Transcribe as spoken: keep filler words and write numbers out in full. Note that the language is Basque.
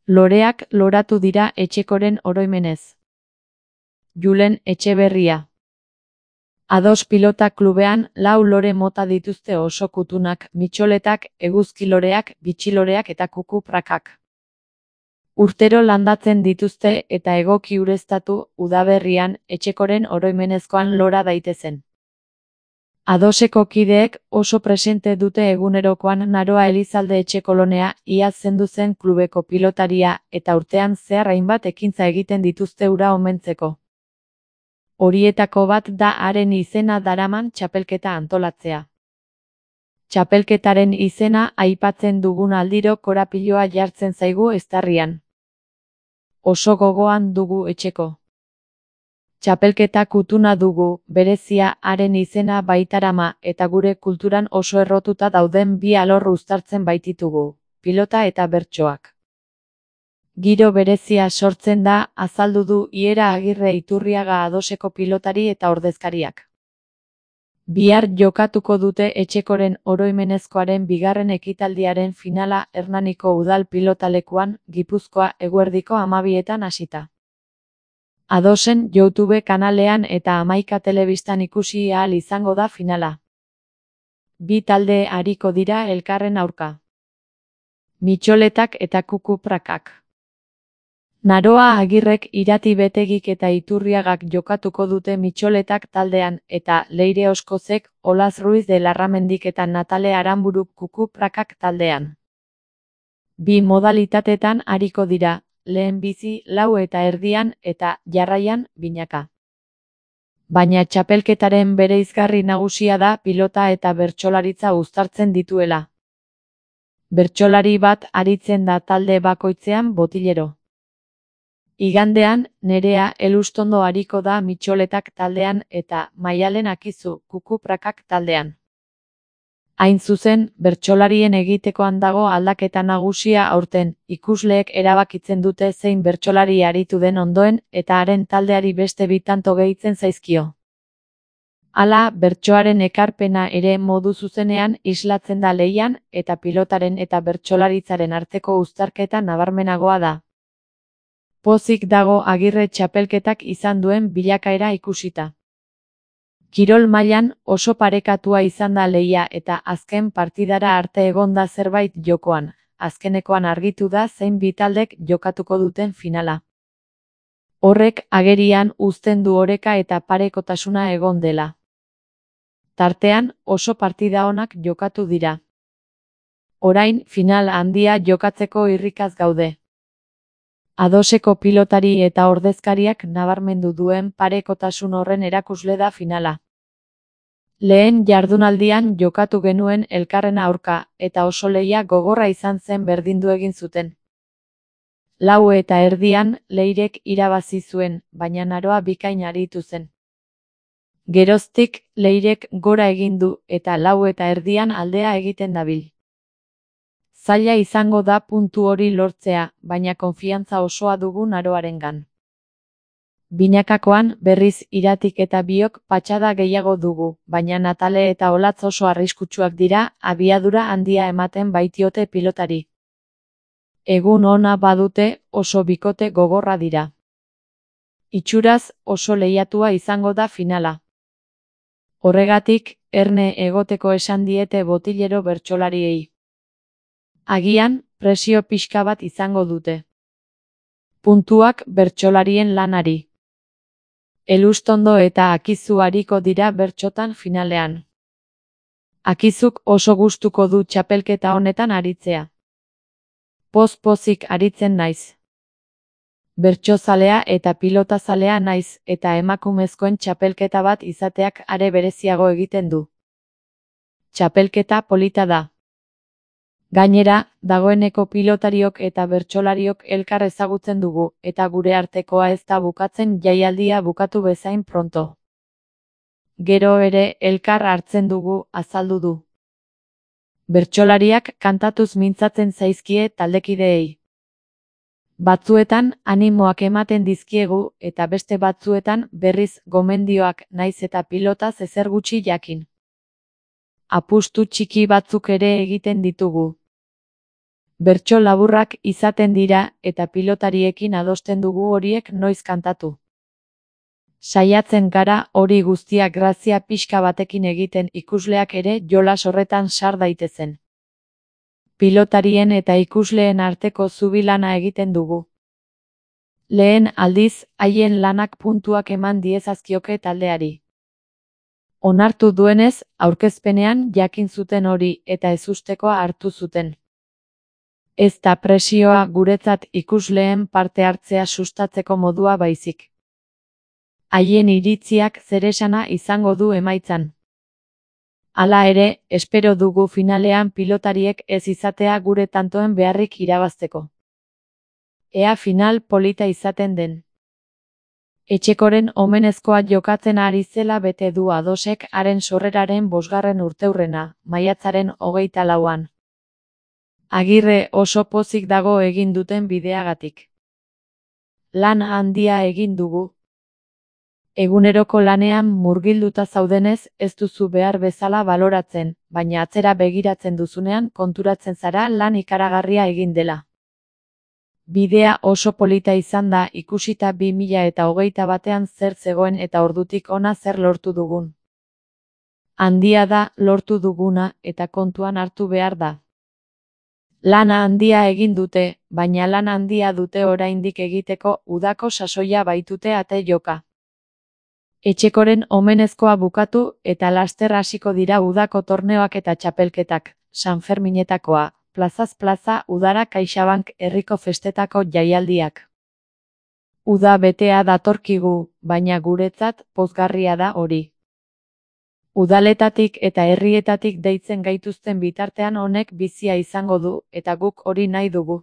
Loreak loratu dira etxekoren oroimenez. Julen Etxeberria. Ados Pilota Klubean lau lore mota dituzte oso kutunak, mitxoletak, eguzkiloreak, bitxiloreak eta kuku-prakak. Urtero landatzen dituzte eta egoki ureztatu udaberrian etxekoren oroimenezkoan lora daitezen. Adoseko kideek oso presente dute egunerokoan Naroa Elizalde Etxekolonea, iaz zendu zen klubeko pilotaria, eta urtean zehar hainbat ekintza egiten dituzte hura omentzeko. Horietako bat da haren izena daraman txapelketa antolatzea. Txapelketaren izena aipatzen dugun aldiro korapiloa jartzen zaigu eztarrian. Oso gogoan dugu etxeko. Txapelketa kutuna dugu, berezia haren izena baitarama eta gure kulturan oso errotuta dauden bi alor uztartzen baititugu, pilota eta bertsoak. Giro berezia sortzen da, azaldu du Iera Agirre Iturriaga Adoseko pilotari eta ordezkariak. Bihar jokatuko dute etxekoren oroimenezkoaren bigarren ekitaldiaren finala Hernaniko Udal Pilotalekuan, Gipuzkoa, eguerdiko hamabietan hasita. Adosen YouTube kanalean eta Hamaika Telebistan ikusi ahal izango da finala. Bi talde ariko dira elkarren aurka. Mitxoletak eta kuku-prakak. Naroa Agirrek Irati Betegik eta Iturriagak jokatuko dute mitxoletak taldean, eta Leire Oskozek, Olaz Ruiz de Larramendik eta Natale Aranburuk kuku-prakak taldean. Bi modalitatetan ariko dira, lehen bizi lau eta erdian eta jarraian binaka. Baina txapelketaren bereizgarri nagusia da pilota eta bertsolaritza uztartzen dituela. Bertsolari bat aritzen da talde bakoitzean botilero. Igandean, Nerea Elustondo ariko da mitxoletak taldean eta Maialen Akizu kuku-prakak taldean. Hain zuzen, bertsolarien egitekoan dago aldaketa nagusia aurten, ikusleek erabakitzen dute zein bertsolari aritu den ondoen eta haren taldeari beste bi tanto gehitzen zaizkio. Hala, bertsoaren ekarpena ere modu zuzenean islatzen da lehian eta pilotaren eta bertsolaritzaren arteko uztarketa nabarmenagoa da. Pozik dago Agirre txapelketak izan duen bilakaera ikusita. Kirol mailan oso parekatua izan da lehia eta azken partidara arte egon da zerbait jokoan, azkenekoan argitu da zein bi taldek jokatuko duten finala. Horrek agerian uzten du oreka eta parekotasuna egon dela. Tartean oso partida onak jokatu dira. Orain final handia jokatzeko irrikaz gaude. Adoseko pilotari eta ordezkariak nabarmendu duen parekotasun horren erakusle da finala. Lehen jardunaldian jokatu genuen elkarren aurka, eta oso lehia gogorra izan zen berdindu egin zuten. Lau eta erdian Leirek irabazi zuen, baina Naroa bikain aritu zen. Geroztik Leirek gora egin du eta lau eta erdian aldea egiten dabil. Zaila izango da puntu hori lortzea, baina konfiantza osoa dugu Naroarengan. Binakakoan, berriz Iratik eta biok patxada gehiago dugu, baina Natale eta Olatz oso arriskutsuak dira, abiadura handia ematen baitiote pilotari. Egun ona badute, oso bikote gogorra dira. Itxuraz, oso lehiatua izango da finala. Horregatik, erne egoteko esan diete botilero bertsolariei. Agian, presio pixka bat izango dute. Puntuak bertsolarien lanari. Elustondo eta Akizu ariko dira bertsotan finalean. Akizuk oso gustuko du txapelketa honetan aritzea. Poz-pozik aritzen naiz. Bertsozalea eta pilotazalea naiz eta emakumezkoen txapelketa bat izateak are bereziago egiten du. Txapelketa polita da. Gainera, dagoeneko pilotariok eta bertsolariok elkar ezagutzen dugu, eta gure artekoa ez da bukatzen jaialdia bukatu bezain pronto. Gero ere elkar hartzen dugu, azaldu du. Bertsolariak kantatuz mintzatzen zaizkie taldekideei. Batzuetan animoak ematen dizkiegu eta beste batzuetan berriz gomendioak naiz eta pilotaz ezer gutxi jakin. Apustu txiki batzuk ere egiten ditugu. Bertso laburrak izaten dira eta pilotariekin adosten dugu horiek noiz kantatu. Saiatzen gara hori guztia grazia pixka batekin egiten ikusleak ere jolas horretan sar daitezen. Pilotarien eta ikusleen arteko zubi lana egiten dugu. Lehen aldiz, haien lanak puntuak eman diezazkioke taldeari. Onartu duenez, aurkezpenean jakin zuten hori eta ezustekoa hartu zuten. Ez da presioa guretzat ikusleen parte hartzea sustatzeko modua baizik. Haien iritziak zeresana izango du emaitzan. Hala ere, espero dugu finalean pilotariek ez izatea gure tantoen beharrik irabazteko. Ea final polita izaten den. Etxekoren omenezkoa jokatzen ari zela bete du Adosek haren sorreraren bosgarren urteurrena, maiatzaren hogeita lauan. Agirre oso pozik dago egin duten bideagatik. Lan handia egin dugu. Eguneroko lanean murgilduta zaudenez ez duzu behar bezala baloratzen, baina atzera begiratzen duzunean konturatzen zara lan ikaragarria egin dela. Bidea oso polita izan da ikusita bi mila eta hogeita batean zer zegoen eta ordutik hona zer lortu dugun. Handia da lortu duguna eta kontuan hartu behar da. Lana handia egin dute, baina lan handia dute oraindik egiteko udako sasoia baitute ate joka. Etxekoren omenezkoa bukatu eta laster hasiko dira udako torneoak eta txapelketak, Sanferminetakoa, plazaz plaza udara CaixaBank herriko festetako jaialdiak. Uda betea datorkigu, baina guretzat pozgarria da hori. Udaletatik eta herrietatik deitzen gaituzten bitartean honek bizia izango du eta guk hori nahi dugu.